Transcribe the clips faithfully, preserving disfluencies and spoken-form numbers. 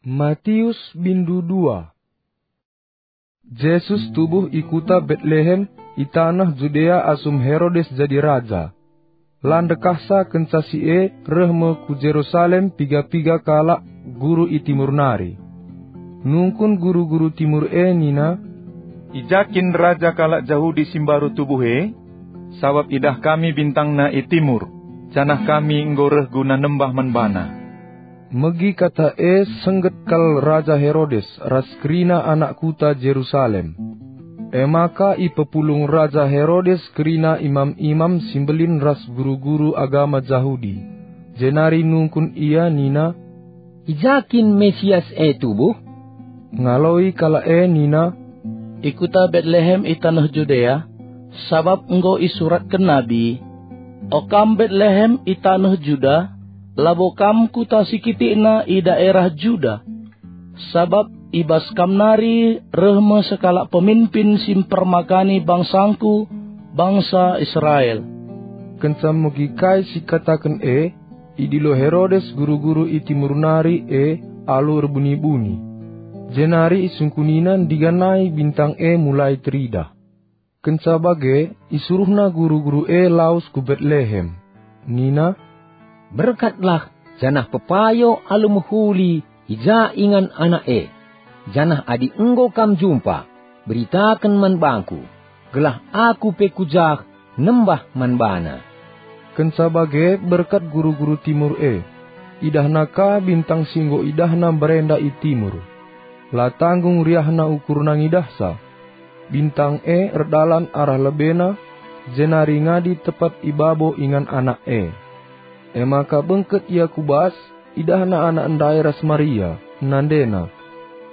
Matius bindu dua. Jesus tubuh i kuta Betlehem i taneh Judea asum Herodes jadi raja. La ndekahsa kenca si e reh me ku Jerusalem piga-piga kalak guru i timur nari. Nungkun guru-guru timur e nina, "I ja kin raja kalak Jahudi si mbaru tubuh e? Sabap idah kami bintangna i timur, janah kami enggo reh guna nembah man bana." Megi kata e sengget kal Raja Herodes ras kerina anak kuta Jerusalem. E maka ipepulung Raja Herodes kerina imam-imam si mbelin ras guru-guru agama Jahudi, jenari nungkun ia nina, "I ja kin Mesias e tubuh?" Ngaloi kalak e nina, "I kuta Betlehem i taneh Judea, sabap enggo isuratken nabi, 'O kam Betlehem i taneh Juda, labo kam kuta si kitikna i daerah Juda, sabap i bas kam nari reh me sekalak peminpin si mpermakani bangsangku, bangsa Israel.'" Kenca megi kai si ikataken e, idilo Herodes guru-guru i timur nari e alu erbuni-buni, jenari isungkunina ndiganai bintang e mulai teridah. Kenca bage, isuruhna guru-guru e lawes ku Betlehem. Nina, "Berkatlah, janah pepayo alu mehuli i ja ingan anak e. Janah adi enggo kam jumpa, beritaken man bangku, gelah aku pe ku jah nembah man bana." Kenca bage berkat guru-guru timur e. Idahna ka bintang si enggo idahna mberenda i timur. La tanggung riahna ukurna ngidahsa. Bintang e erdalan arah lebena, jenari ngadi tepat i babo ingan anak e. E maka bengket ia ku bas, idahna anak ndai ras Maria, nandena.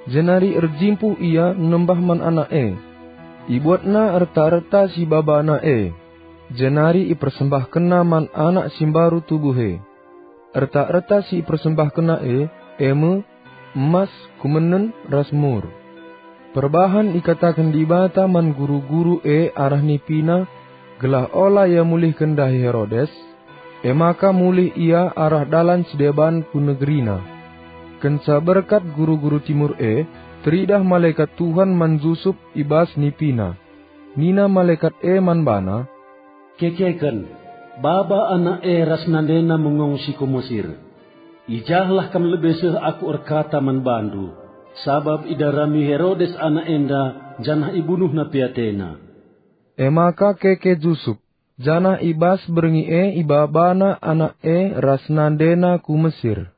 Jenari erjimpuh ia nembah man anak e. Ibuatna erta-erta si babana e, jenari ipersembahkenna man anak si mbaru tubuh e. Erta-erta si ipersembahkenna e, e me, emas, kumenen, ras mur. Perbahan ikataken Dibata man guru-guru e arah nipina, gelah ola ia mulihken ndahi Herodes, e maka mulih ia arah dalan si deban ku negerina. Kenca berkat guru-guru timur e, teridah malekat Tuhan man Jusup i bas nipina. Nina malekat e man bana, "Kekeken, baba anak e ras nandena mengongsi ku Mesir. I jahlah kam lebe seh aku erkata man bandu, sabap idarami Herodes anak enda janah ibunuhna pe atena." E maka keke Jusup, janah i bas berngi e ibabana anak e ras nandena ku Mesir.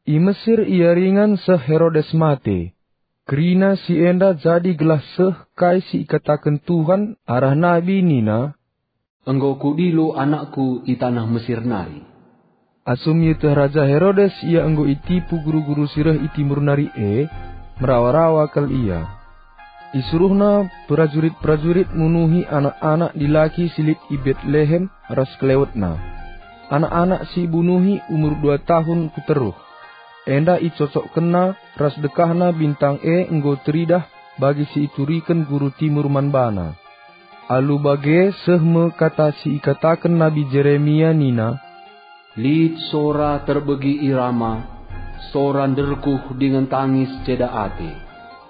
I Mesir ia ringan seh Herodes mate. Kerina si enda jadi gelah seh kai si ikataken Tuhan arah nabi nina, "Enggo kudilo anakku i taneh Mesir nari." Asum ieteh Raja Herodes ia enggo itipu guru-guru si reh i timur nari e, merawa-rawa kal ia. Isuruhna perajurit-perajurit munuhi anak-anak dilaki si lit i Betlehem ras kelewetna. Anak-anak si ibunuhi umur dua tahun ku teruh. Enda icocokkenna ras dekahna bintang e enggo teridah bagi si ituriken guru timur man bana. Alu bage seh me kata si ikataken Nabi Jeremia nina, "Lit sora terbegi i Rama, sora nderkuh dingen tangis ceda ate.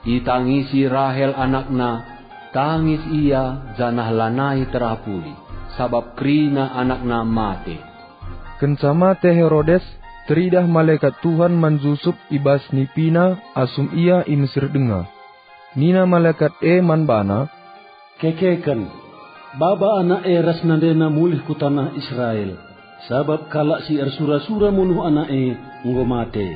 Itangisi Rahel anakna, tangis ia janah lanai terapuli, sabap kerina anakna mate." Kenca mate Herodes, teridah malekat Tuhan man Jusup i bas nipina asum ia i Mesir denga. Nina malekat e man bana, "Kekeken, baba anak e ras nandena mulih ku taneh Israel, sabap kalak si ersura-sura munuh anak e enggo mate."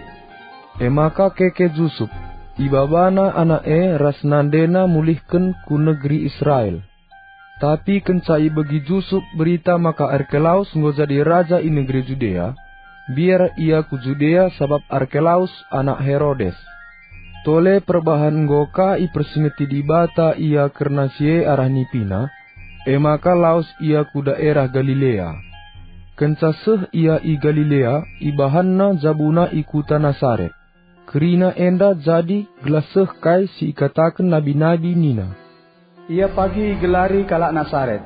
E maka keke Jusup, ibabana anak e ras nandena mulihken ku negeri Israel. Tapi kenca ibegi Jusup berita maka Arkelaus enggo jadi raja i negeri Judea, mbiar ia ku Judea sabap Arkelaus anak Herodes. Tole perbahan enggo ka ipersingeti Dibata ia kerna si e arah nipina, e maka lawes ia ku daerah Galilea. Kenca seh ia i Galilea, ibahanna jabuna i kuta Nasaret. Kerina enda jadi gelah seh kai si ikataken nabi-nabi nina, "Ia pagi igelari kalak Nasaret."